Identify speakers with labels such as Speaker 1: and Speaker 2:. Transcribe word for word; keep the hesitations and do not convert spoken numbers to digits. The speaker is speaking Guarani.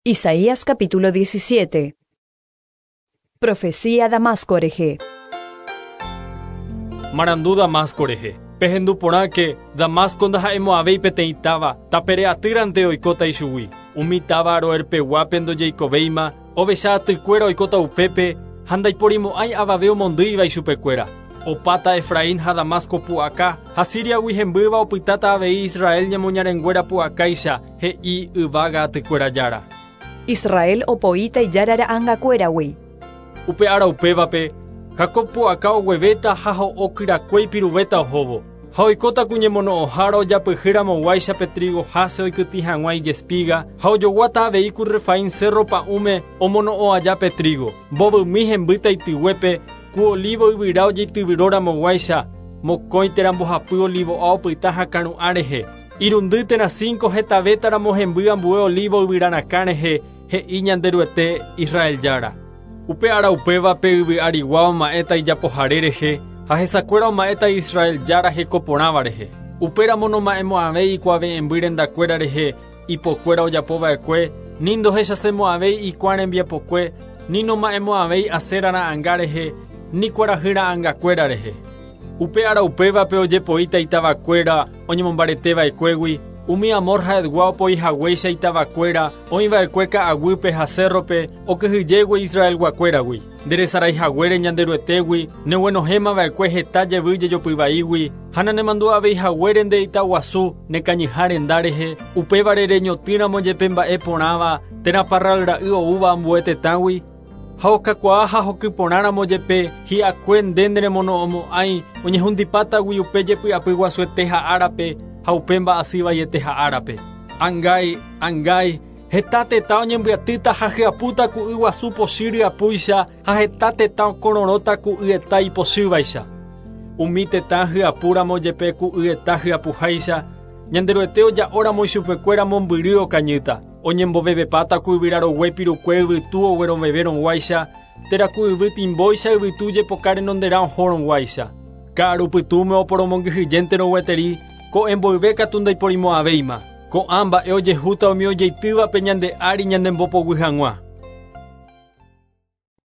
Speaker 1: Isaías capítulo diecisiete. Profecía Damasco rehe.
Speaker 2: Marandu Damasco rehe. Pehendu porãke Damasco ndaha'emo'ãvéi peteĩ táva, tapere atýrante oikóta ichugui. Umi táva Aroerpeguápe ndojeikovéima, ovecha atykuéra oikóta upépe ha ndaiporimo'ãi avave omondýiva ichupekuéra. Opáta Efraín ha Damasco pu'aka, ha Siriagui hembýva opytáta avei Israel ñemoñarenguéra pu'akáicha, he'i yvága atykuéra jára.
Speaker 1: Israel opoíta ijára ra'ãngakuéragui.
Speaker 2: Upe ára upévape, Jacob pu'aka oguevéta ha ho'okyrakue ipiruvéta ohóvo. Ha oikóta ku ñemono'õhára ojapyhýramoguáicha pe trigo háse oikytĩ hag̃ua ijespiga, ha ojoguáta avei ku Refaín cerro pa'ũme omono'õ aja pe trigo. Mbovymi hembýta ityguépe, ku olivo yvyra ojeityvyróramoguáicha, mokõi térã mbohapy olivo'a opyta hakãru'ã rehe. Irundy térã cinco hetavétaramo hemby ambue olivo yvyrarakã rehe, he'i Ñanderuete Israel jára. Upe ára upévape yvy arigua oma'ẽta ijapohare rehe, ha hesakuéra oma'ẽta Israel jára hekoporãva rehe. Upéramo noma'ẽmo'ãvéi ikuave'ẽmby rendakuéra rehe, ipokuéra ojapova'ekue, ni ndohechasemo'ãvéi ikuã rembiapokue, ni noma'ẽmo'ãvéi Asera ra'ãnga rehe, ni kuarahy ra'ãngakuéra rehe. Upe ára upévape ojepoíta itavakuéra oñemombareteva'ekuégui, umi Amor ha Etgua opoihaguéicha itavakuéra oĩva'ekue ka'aguýpe ha cerrope okyhyjégui Israelguakuéragui. Nderesaraihaguére Ñanderuetégui, neguenohẽmava'ekue heta jevy jejopyvaígui, ha nanemandu'aveihaguére nde itaguasu nekañyha renda rehe, upévare reñotỹramo jepe mba'e porãva térã parral ra'y oúva ambue tetãgui, ha okakuaa ha hokyporãramo jepe hi'akue nde neremono'õmo'ãi oñehundipátagui upe jepy'apy guasuete ha árape ha upe mba'asyvaiete ha árape. Angái, angái, heta tetã oñembyatýta ha hyapúta ku yguasu pochy ryapúicha ha heta tetã okororõta ku yeta ipochývaicha. Umi tetã hyapúramo jepe ku yeta hyapuháicha, Ñanderuete oja'óramo ichupekuéra mombyry okañýta. Oñembovevepáta ku yvyrarogue pirukue yvytu oguerovevérõguáicha, térã ku yvy timbóicha yvytu jepoka renonderã ohórõguáicha. Ka'arupytũme oporomongyhyjénterõ gueteri, ko'ẽ mboyve katu ndaiporimo'ãvéima. Ko'ã mba'e ojehúta umi ojeitývape ñande ári ñanembopoguy hag̃ua.